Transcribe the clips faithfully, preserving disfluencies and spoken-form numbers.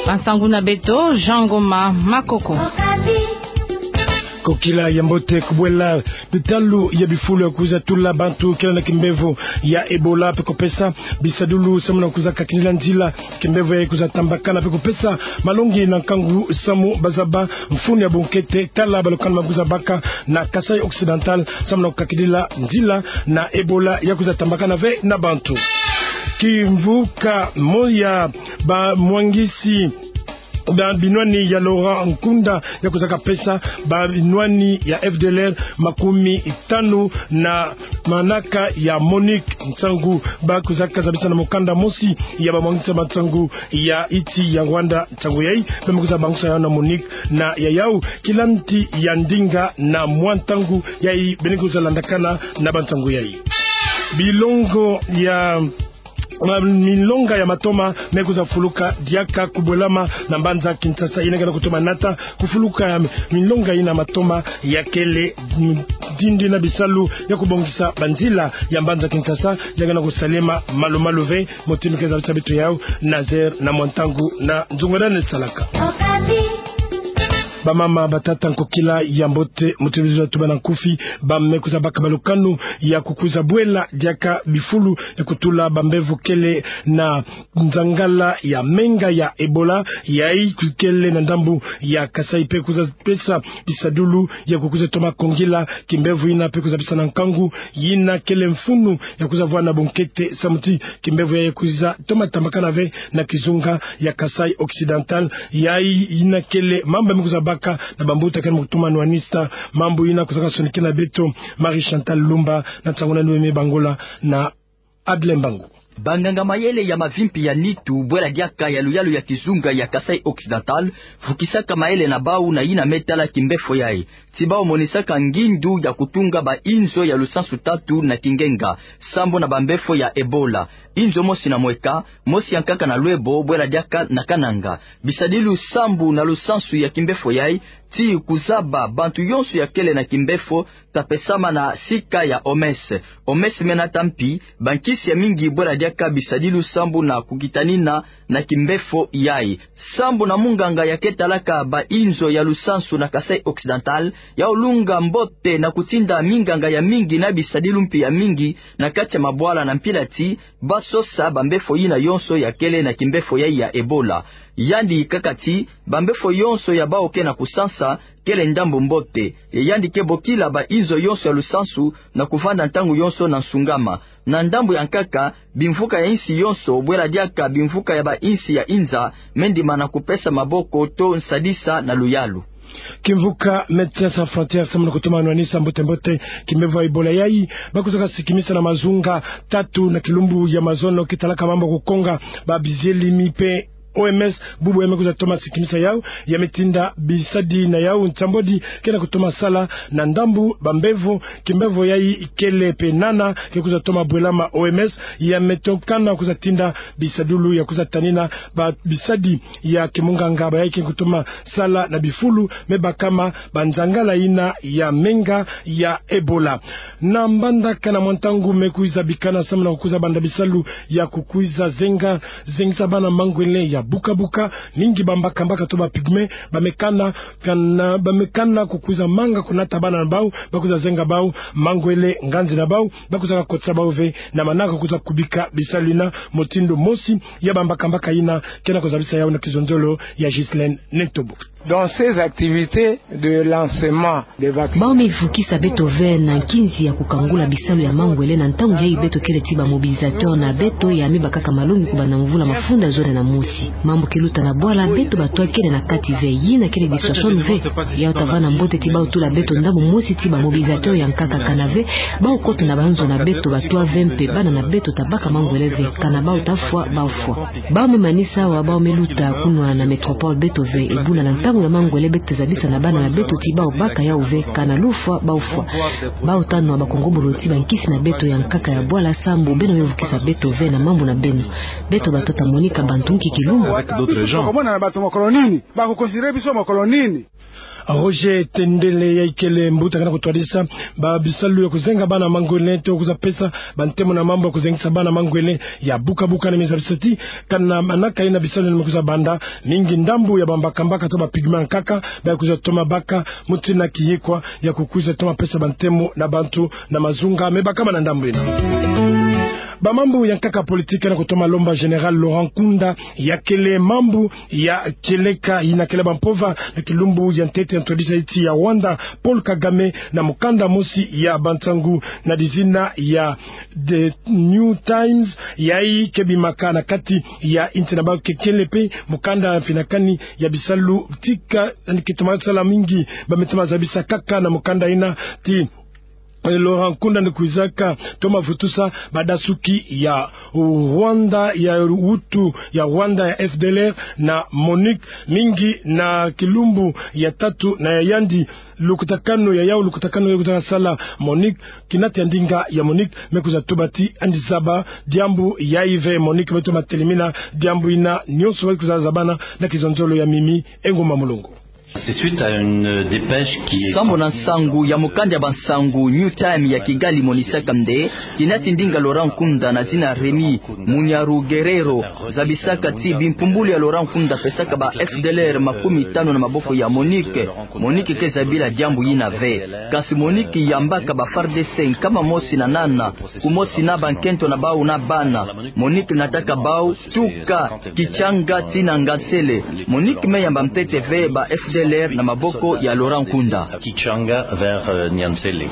Bansangu na beto, Jean Ngoma Makoko. Kokila ya mbote. Kubwela bitalu ya bifulu ya kwiza tula bantu kele na kimbevo ya Ebola pe kupesa bisadulu samu na kwiza kakindila nzila kimbevo yayi kwiza tambakana pe kupesa malongi na nkangu samu bazaba mfunu ya bunkete tala balukanu ba kwiza baka na Kasaï Occidental samu na kukakindila nzila na Ebola ya kwiza tambakana ve na bantu. Kimvuka moya bamwangisi na binwani ya Laurent Nkunda ya kwiza kapesa banwani ya F D L R makumi tanu na manaka ya MONUC. Nsangu ba kwiza kazabisa na mukanda mosi ya bamwangisa bansangu ya insi ya Rwanda. Nsangu yayi ba me kwiza bangusa yawu na MONUC na ya yawu kilanti ya ndinga na mwa ntangu yayi bene kwiza landakana na bansangu yayi. Bilongo ya ma-, milonga ya matoma me kwiza fuluka diaka kubwelama na mbanza Kinshasa. Yina ke na kutoma nata kufuluka ya milonga yina matoma ya kele, mm, dindi na bisalu ya kubongisa banzila ya mbanza Kinshasa, ya ke na kusalema malu-malu ve, mutindu ke zabisa beto yawu na zere na mwa ntangu na nzungu dane salaka. Bamama, batata, nkokila ya mbote, mutindu ke zabisa beto bana nkufi, ba me kwiza baka balukanu ya kukwiza bwela diaka bifulu ya kutula bambevo kele na nzangala ya menga ya Ebola, yayi kele na ndambu ya Kasaï pe kwiza pesa bisadulu ya kukwiza toma kongila kimbevo yina pe kwiza pesa na nkangu yina kele mfunu ya kwiza vwanda bunkete samu ti kimbevo yayi kwiza toma tambakana ve na kizunga ya Kasaï Occidental. Yayi yina kele mambu me kwiza baka na bambuta kele me kutoma nwanisa mambu yina kwiza kasonikina beto Marie Chantal Lumba na nsangu na nwe me bangula na Adle Mbangu. Banganga mayele ya mavimpi ya nitu bwela diaka ya luyalu ya kizunga ya Kasaï Occidental vukisaka mayele na bawu na yina me tala kimbefo yayi, ti bawu monisaka ngindu ya kutunga ba inzo ya lusansu tatu na kingenga sambu na bambefo ya Ebola. Inzo mosi na Mweka, mosi ya nkaka na Lwebo, bwela diaka na Kananga. Bisadilu sambu na lusansu ya kimbefo yayi ti kuzaba bantu yonso ya kele na kimbefo ta pesama na sika ya O M S. O M S me nata mpi bankisi ya mingi bwela diaka bisadilu sambu na kukitanina na kimbefo yayi. Sambu na munganga ya ke talaka ba inzo ya lusansu na Kasaï Occidental, yawu lunga mbote na kutinda minganga ya mingi na bisadilu mpi ya mingi na kati ya mabwala na mpila ti ba sosa bambefo yina yonso ya kele na kimbefo yayi ya Ebola. Yandi kaka ti bambefo yonso ya bawu ke na kusansa kele ndambu mbote. Ye yandi ke bokila ba inzo yonso ya lusansu na kuvanda ntangu yonso na nsungama. Na ndambu ya nkaka, bimvuka ya insi yonso bwela diaka bimvuka ya ba insi ya inza me ndimana kupesa maboko to nsadisa na luyalu. Kimvuka Médecins Sans Frontières samu na kutoma nwanisa mbote-mbote kimbevo ya Ebola yayi, ba kwiza kasikimisa na mazunga tatu na kilumbu ya mazono ke talaka mambu ya kukonga ba bizielimi pe O M S, bubu ya me kwiza toma sikimisa yawu, ya me tinda bisadi na yawu nsambwadi ke na kutoma sala na ndambu bambevo kimbevo yayi kele pe nana ke kwiza toma bwelama O M S, ya me tokana kwiza tinda bisadulu ya kwiza tanina ba bisadi ya kimunganga bayayi ke kutoma sala na bifulu me bakama ba nzangala yina ya menga ya Ebola. Na mbandaka na mwa ntangu me kwiza bikana samu na kukwiza banda bisalu ya kukwiza zenga, zengisa bana mangwele ya buka-buka, mingi bambaka-mbaka to ba pygmées, ba me kana, kana, ba me kana kukwiza manga kunata bana na bawu, ba kwiza zenga bawu mangwele nganzi na bawu, ba kwiza kakotisa bawu ve na manaka kwiza kubika bisalu yina, mutindu mosi ya bambaka-mbaka yina ke na kuzabisa yawu na kizonzolo ya Ghislaine Nentobo. Dans ces activités de lancement des vaccins. Bawu me vukisa beto ve na nkinzi ya kukangula bisalu ya mangwele na ntangu yayi beto kele ti ba mobilisateurs na beto ya me bakaka malongi kubanda mvula mafunda zole na mosi. Mambu ke luta na bwala, beto bato kele na kati ve, yina kele dissuasion ve. Yawu ta vanda mbote ti bawu tula beto ndambu mosi ti ba mobilisateurs ya nkaka, kana ve bawu kota na banzo na beto bato ve mpe bana na beto ta baka mangwele ve, kana bawu ta fwa, bawu fwa. Bawu me manisa awa, bawu me luta kunwa na métropole beto ve, ebuna na ntangu ya mangwele beto ta zabisa na bana na beto ti bawu baka yawu ve, kana lufwa, bawu fwa. Bawu ta nwa ba kongobolo ti bankisi na beto ya nkaka ya bwala sambu beno me vukisa beto ve na mambu na beno. Beto bato ta monika bantu nki kilumbu. Tokomona na bato mokolo nini? Ba ko considérer biso mokolo nini? Roger Tendele, yayi kele mbuta kena kutwadisa ba bisalu ya kuzenga bana mangwele, to kwiza pesa bantemo na mambu ya kuzengisa bana mangwele ya buka-buka, na meza bisati kana manaka yina bisalu yina me kwiza banda, mingi ndambu ya bambaka-mbaka to ba pigments ya nkaka ba kwiza toma baka, mutina kiyikwa ya kukwiza toma pesa bantemo na bantu na mazunga me bakama na ndambu yina. Ba mambu ya nkaka politique kena kutoma lomba Général Laurent Nkunda ya kele mambu ya kieleka yina kele ba mpova na kilumbu ya ntete ya ntwadisa insi ya Rwanda, Paul Kagame, na mukanda mosi ya bansangu na dizina ya The New Times, yayi ke bimaka na kati ya insi na bau. Kekele pe mukanda ya mfinakani ya bisalu tika, yandi ke toma sala mingi, ba me toma zabisa kaka na mukanda yina ti Laurent Nkunda yandi kwizaka toma vutusa badasuki ya Rwanda, ya Hutu ya Rwanda, ya F D L R na MONUC, mingi na kilumbu ya tatu na ya yandi lukutakanu ya yau, lukutakanu ya kwiza sala MONUC. Kina ti ya ndinga ya MONUC me kwiza tuba ti yandi zaba diambu yayi ve. MONUC me toma telemina diambu yina nyonso, ba kwiza zabana na kizonzolo ya Mimi Ngumba Mulongo. C'est suite à une dépêche qui est... Sambu na nsangu ya mukanda ya bansangu New Times ya Kigali monisaka nde kina ti ndinga Laurent Nkunda na zina Remy Munyarugerero zabisaka ti bimpumbulu ya Laurent Nkunda pesaka ba F D L R makumi tanu na maboko ya MONUC. MONUC ke zabila diambu yina ve. Kansi MONUC yambaka ba F A R D C nkama mosi na nana, kumosi na bankento na bau na bana. MONUC nataka bau tuka Kitshanga tii na Nyansele. MONUC me yamba ntete ve ba F D L R na maboko ya Laurent Nkunda. Kitshanga vers, euh, Nyansele.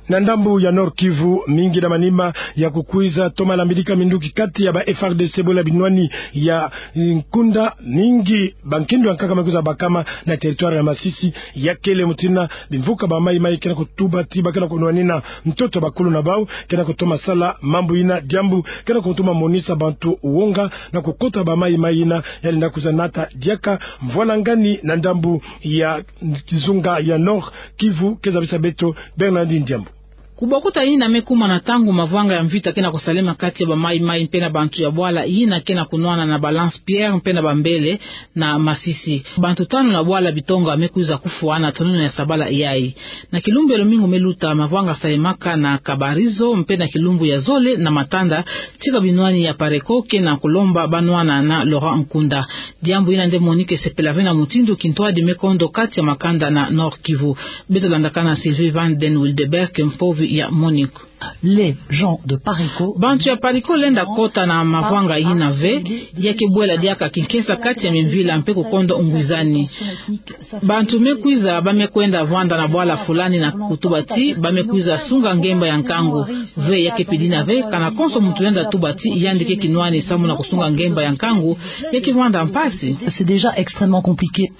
Na ndambu ya Nord-Kivu, mingi na manima ya kukwiza toma lambidika minduki kati ya ba F A R D C bole binwani ya Nkunda, mingi bankindu ya nkaka me kwiza bakama na territoire ya Masisi. Ya kele mutina bimvuka ba Maï-Maï kena kutuba ti ba kena kunwanina ntoto bakulu na bau kena kutoma sala mambu yina, diambu kena kutoma monisa bantu wonga na kukota ba Maï-Maï yina ya lenda kwiza nata diaka mvwalangani na ndambu ya kizunga ya Nord-Kivu. Ke zabisa beto Bernardine Diambu. Kubokuta yina me kuma na ntangu mavwanga ya mvita kena kusalema kati ya ba Maï-Maï mpe na bantu ya bwala yina kena kunwana na ba Lance-Pierre mpe na Bambele na Masisi. Bantu tanu na bwala bitonga me kwiza kufwa na tonona ya sabala yayi. Na kilumbu ya lumingu me luta, mavwanga salemaka na Kabarizo mpe na kilumbu ya zole na Matanda, tika binwani ya Pareko kena kulomba ba nwana na Laurent Nkunda. Diambu yina nde MONUC esepela ve na mutindu kintwadi me kondo kati ya makanda na Nord-Kivu. Beto landakana Sylvie van den Wildeberg, mpovi ya MONUC. Les gens de Pariko. Bantu ya Pariko lenda kota na mavwanga yina ve, ya ke bwela diaka kinkesa kati ya mimvila mpe kukondo ngwizani. Bantu me kwiza, ba me kwenda vwanda na bwala fulani na kutuba ti ba me kwiza sunga ngemba ya nkangu. Ve ya ke pidina ve, kana konso muntu lenda tuba ti yandi ke kinwani samu na kusunga ngemba ya nkangu, ya ke vwanda mpasi. C'est déjà extrêmement compliqué.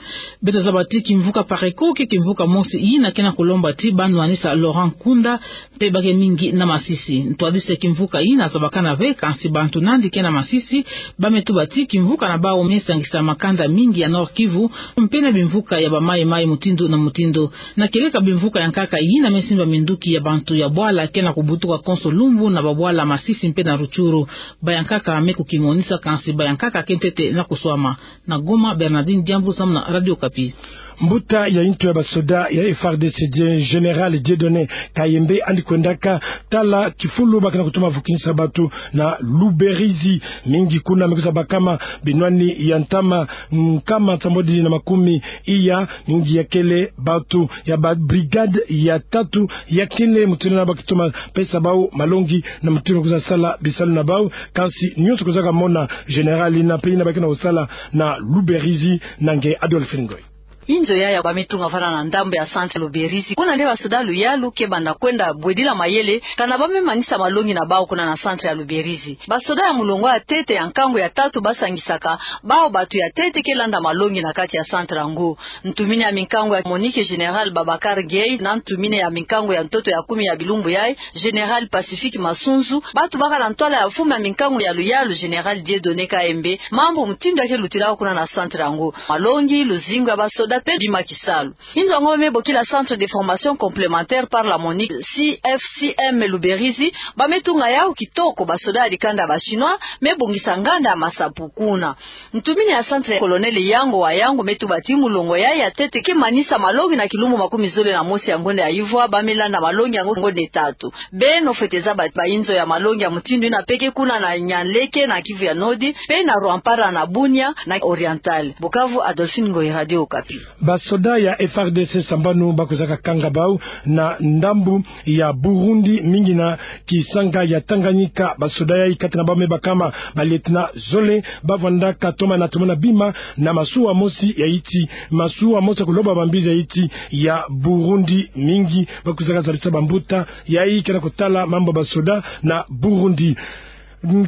Beto zaba ti kimvuka Pareko ke kimvuka mosi yina kena kulomba ti ba nwanisa Laurent Nkunda, mpe ba ke mingi na Masisi. Ntwadisi ya kimvuka yina zabakana ve, kansi bantu nandi ke na Masisi ba me tuba ti kimvuka na bau me sangisa makanda mingi ya Nord-Kivu mpe na bimvuka ya ba Maï-Maï mutindu na mutindu. Na kieleka bimvuka ya nkaka yina me simba minduki ya bantu ya bwala kena kubutuka konso lumbu na ba bwala Masisi mpe na Rutshuru. Ba ya nkaka me kukimonisa, kansi ba ya nkaka ke ntete na kuswama. Na Goma, Bernardine Diambu samu na Radio Okapi. Mbuta ya ntu ya basoda ya F A R D C, Général Dieudonné Kayembe, yandi kwendaka tala kifulu ba kena kutoma vukinisa bantu na Luberizi. Mingi kuna me kwiza bakama binwani ya ntama nkama nsambwadi na makumi iya, mingi ya kele bantu ya ba brigade ya tatu, ya kele mutindu yina ba ke toma pesa bau malongi na mutindu kwiza sala bisalu na bau. Kansi nyonso kwizaka mona général yina mpe yina ba kena kusala na Luberizi na nge Adolphe Ngoy. Inzo yaya ba me tunga vana na ndambu ya centre Luberizi. Kuna nde basoda luyalu ke banda kwenda bwedila mayele, kana ba me manisa malongi na bau kuna na centre ya Luberizi. Basoda ya mulongo ya ntete ya nkangu ya tatu ba sangisaka bau bantu ya ntete ke landa malongi na kati ya centre yango. Ntumini ya minkangu ya MONUC, Général Babacar Gueye, na ntumini ya minkangu ya ntoto ya kumi ya bilumbu yayi, Général Pacifique Masunzu, bantu baka na ntwala ya mfumu ya minkangu ya luyalu, Général Dieudonné Kayembe, mambu mutindu ya ke lutila kuna na centre yango. Malongi, luzingu ya basoda, mpe bima kisalu. Inzo yango ba me bokila Centre de Formation Complémentaire par la MONUC, C F C M Luberizi, ba me tunga yau kitoko basoda ya dikanda ya ba Chinois me bongisa nganda ya masapo kuna. Ntumini ya centre, Colonel Yango wa Yango, me tuba ti molongo yai ya ntete ke manisa malongi na kilumbu makumi zole na mosi ya ngonda ya ivwa, ba me landa malongi yango ngonda tatu. Beno fwete zaba ba, ba inzo ya malongi ya mutindu ina mpe ke kuna na Nianleke na Kivu ya Nord, mpe na Rwampara na Bunia na Oriental. Bukavu, Adolphine Ngoyi, Radio Okapi. Basoda ya F R D C sambanu ba kwizaka kanga bau na ndambu ya Burundi, mingi na kisanga ya Tanganyika. Basoda yai, kati na bau me bakama ba lieutenant zole, ba vwandaka toma na tomona bima na masuwa mosi ya nti, masuwa mosi ya kuloba bambizi ya nti ya Burundi. Mingi ba kwizaka zabisa bambuta yai ke na kutala mambu ya basoda na Burundi.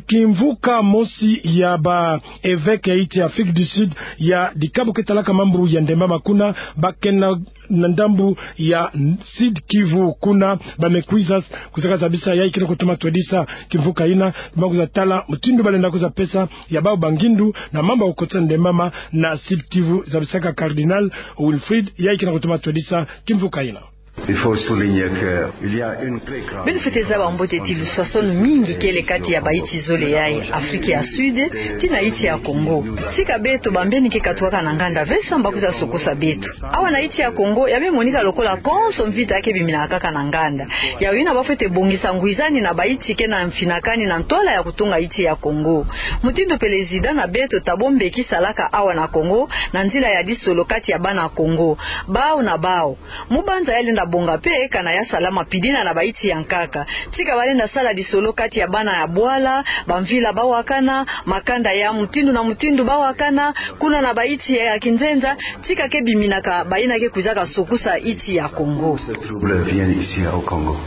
Kimvuka mosi ya ba evêque ya nti ya Afrique du Sud, ya dikabu ke talaka mambu ya ndembama kuna, ba ke na, na ndambu ya Sud Kivu kuna, ba me kwiza kwizaka zabisa yai ke na kutoma twedisa kimvuka ina, ba kwiza tala mutindu ba lenda kwiza pesa ya bau bangindu na mambu ya kukotisa ndembama na Sud Kivu, zabisaka Cardinal Wilfrid yai ke na kutoma twedisa kimvuka ina. Il faut souligner que il y a une très grande... Beno fwete zaba mbote ti luswaswanu mingi kele kati ya ba nti zole yai, Afrique ya Sud tii na nti ya Congo. Tika beto bambeni ke katukaka na nganda ve samu ba kwiza sokosa beto. Awa na nti ya Congo, ya me monika lokola konso mvita ke biminaka kaka na nganda. Yau ina ba fwete bongisa ngwizani na ba nti ke na mfinakani na ntwala ya kutunga nti ya Congo. Mutindu président na beto Thabo Mbeki salaka awa na Congo, na nzila ya disolo kati ya bana Congo, bau na bau. Mubanza ya lenda bonga mpe kana ya salama pidina na ba nti ya nkaka. Tika ba lenda sala disolo kati ya bana ya bwala, bamvila ba wakana, makanda ya mutindu na mutindu ba wakana, kuna na ba nti ya kinzenza, tika ke biminaka ba ina ke kwizaka sokosa nti ya Congo. Ce trouble vient ici au Congo.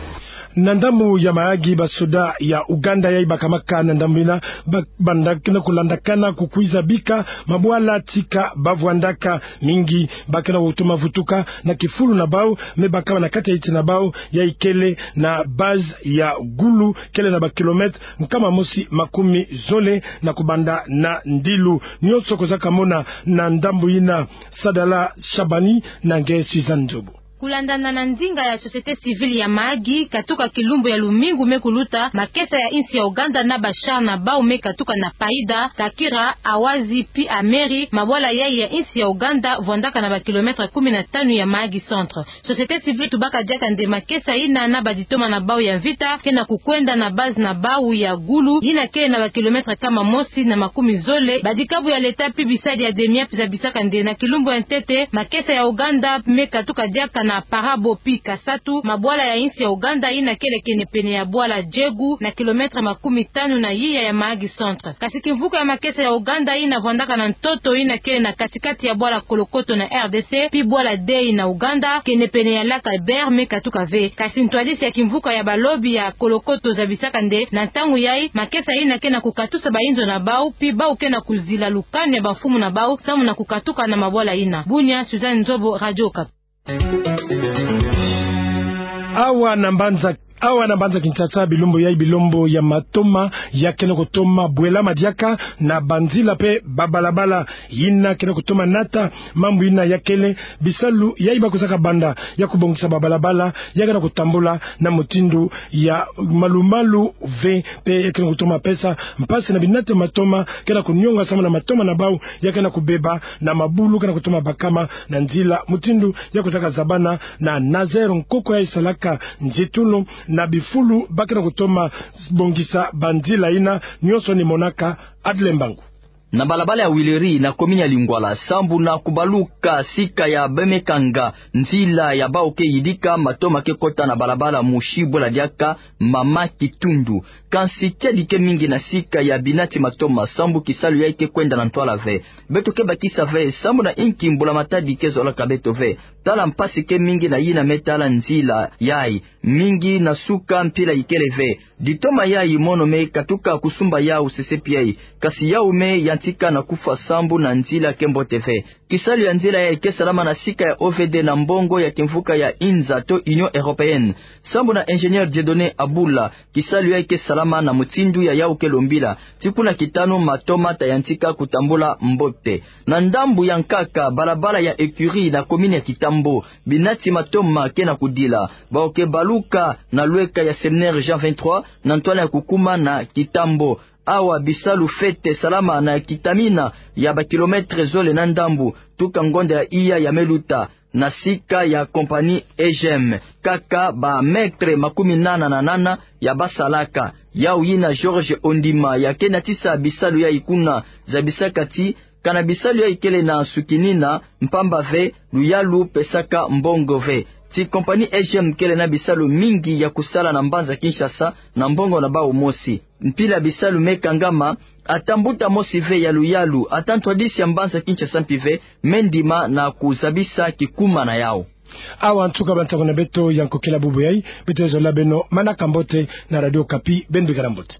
Na ndambu ya Mahagi, basoda ya Ouganda yai bakamaka na ndambu ina, ba, banda ke na kulandakana kukwiza bika mabwala tika ba vwandaka. Mingi ba ke na kutoma vutuka na kifulu na bau me bakama na kati ya nti na bau, yai kele na base ya Gulu, kele na ba kilomètre nkama mosi makumi zole na kubanda na Ndilo. Nyonso kozaka mona na ndambu ina. Sadala Shabani na nge Suzanne Nzobo. Kulandana na ndinga ya société civile ya Mahagi, katuka kilumbu ya lumingu me kuluta, makesa ya nsi ya Ouganda na ba char na bau me katuka na Paida, Kakira, Awazi, pi Ameri, mabwala yai ya nsi ya Ouganda, vwandaka na ba kilomètre kumi na tanu ya Mahagi centre. Société civile tubaka diaka nde makesa ina na baditoma na bau ya mvita ke na kukwenda na base na bau ya Gulu, ina kele na ba kilomètre nkama mosi na makumi zole. Badikabu ya leta pi bisadi ya DEMIAP zabisaka nde na kilumbu ya ntete, makesa ya Ouganda me katuka diaka na Parabo pi Kasatu, mabwala ya nsi ya Ouganda ina kele kenepene ya bwala Jegu, na kilomètre makumi tanu na iya ya Mahagi centre. Kasi kimvuka ya makesa ya Ouganda ina vwandaka na ntoto ina kele na katikati ya bwala Kolokoto na R D C, pi bwala Dei na Ouganda, kenepene ya lac Albert, me katuka ve. Kasi ntwadisi ya kimvuka ya balobi ya Kolokoto zabisaka nde na ntangu yai, makesa ina ke na kukatusa bainzo na bau, pi bau ke na kuzila lukanu ya bamfumu na bau samu na kukatuka na mabwala ina. Bunia, Suzanne Nzobo, Radio Okapi. Awa na mbanza, awa na mbanza Kinshasa, bilumbu yai, bilumbu ya matoma ya ke na kutoma bwelama diaka, na banzila mpe babalabala ina ke na kutoma nata. Mambu ina ya kele bisalu yai ba kwizaka banda ya kubongisa babalabala ya ke na kutambula na mutindu ya malumalu ve, mpe ya ke na kutoma pesa mpasi na binati matoma ke na kunionga samu na matoma na bau ya ke na kubeba, na mabulu ke na kutoma bakama na nzila. Mutindu ya kwizaka zabana na Nazaire, nkoko yai salaka nzitulu na bifulu ba ke na kutoma bongisa banzila ina. Nyonso ni monaka Adle Mbangu. Na balabala ya Huileries na commune ya Lingwala, sambu na kubaluka sika ya Bemekanga, nzila ya bau ke yidika, matoma ke kota na balabala mosi bwela diaka Mama Kitundu. Kansi kiadi ke mingi na sika ya binati matoma, sambu kisalu yai ke kwenda na ntwala ve. Beto ke bakisa ve sambu na inki mbula-matadi ke zolaka beto ve. Tala mpasi ke mingi na yina me tala nzila yai. Mingi na suka mpila ikele ve. Ditoma yai mono me katuka kusumba yau sesepi yai. Kasi yau me ya tika na kufwa sambu na nzila ke mbote ve. Kisalu ya nzila yayi ke salama na sika ya O V D na mbongo ya kimvuka ya INZA to Union Européenne. Sambu na ingénieur Dieudonné Abula, kisalu yayi ke salama na mutindu ya yawu ke lombila. Ti kuna kitanu matoma ta yantika kutambula mbote. Na ndambu ya nkaka, balabala ya Écurie na commune ya Kitambo, binati matoma ke na kudila. Bawu ke baluka na lweka ya séminaire Jean vingt-trois, na ntwala ya kukuma na Kitambo. Awa bisalu fete salama na kitamina ya ba kilomètre zole na ndambu, tuka ngonda ya iya ya meluta, na sika ya compagnie E G M. Kaka ba mètre makumi nana na nana ya basalaka. Yawu yina Georges Ondima ya ke natisa bisalu yayi kuna zabisaka ti kana bisalu yayi kele na sukinina, mpamba ve luyalu pesaka mbongo ve. Ti compagnie E G M kele na bisalu mingi ya kusala na mbanza Kinshasa na mbongo na bawu mosi. Mpila bisalu me kangama, ata mbuta mosi ve ya luyalu, ata ntwadisi ya mbanza Kinshasa mpi ve, me ndima na kuzabisa kikuma na yawu. Awa nsuka ba nsangu na beto ya nkokila bubu yayi. Beto zola beno manaka mbote na Radio Okapi, beno bikala mbote.